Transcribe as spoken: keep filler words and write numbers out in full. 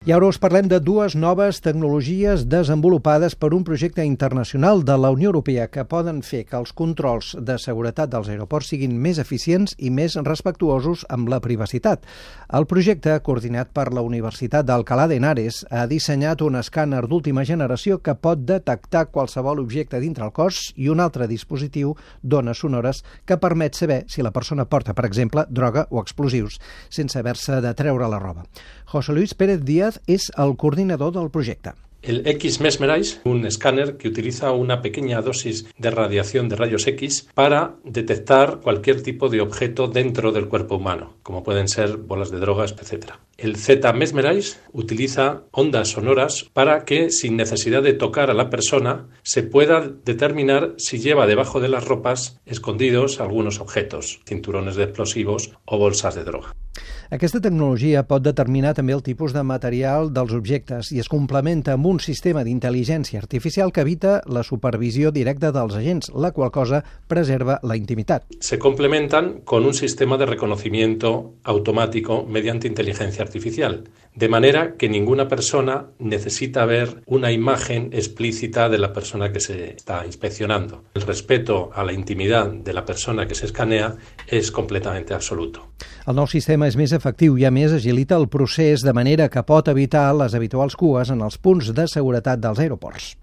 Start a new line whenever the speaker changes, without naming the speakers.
I ara us parlem de dues noves tecnologies desenvolupades per un projecte internacional de la Unió Europea que poden fer que els controls de seguretat dels aeroports siguin més eficients i més respectuosos amb la privacitat. El projecte, coordinat per la Universitat d'Alcalá de Henares, ha dissenyat un escàner d'última generació que pot detectar qualsevol objecte dintre el cos i un altre dispositiu d'ones sonores que permet saber si la persona porta, per exemple, droga o explosius, sense haver-se de treure la roba. José Luis Pérez Díaz es el coordinador del proyecto.
El X-Mesmerize, un escáner que utiliza una pequeña dosis de radiación de rayos X para detectar cualquier tipo de objeto dentro del cuerpo humano, como pueden ser bolas de drogas, etcétera. El Z-Mesmerize utiliza ondas sonoras para que, sin necesidad de tocar a la persona, se pueda determinar si lleva debajo de las ropas escondidos algunos objetos, cinturones de explosivos o bolsas de droga.
Aquesta tecnologia pot determinar també el tipus de material dels objectes i es complementa amb un sistema d'intel·ligència artificial que evita la supervisió directa dels agents, la qual cosa preserva la intimitat.
Se complementan con un sistema de reconocimiento automático mediante inteligencia artificial, de manera que ninguna persona necesita ver una imagen explícita de la persona que se está inspeccionando. El respeto a la intimidad de la persona que se escanea es completamente absoluto.
El nou sistema és més efectiu i, a més, agilita el procés de manera que pot evitar les habituals cues en els punts de seguretat dels aeroports.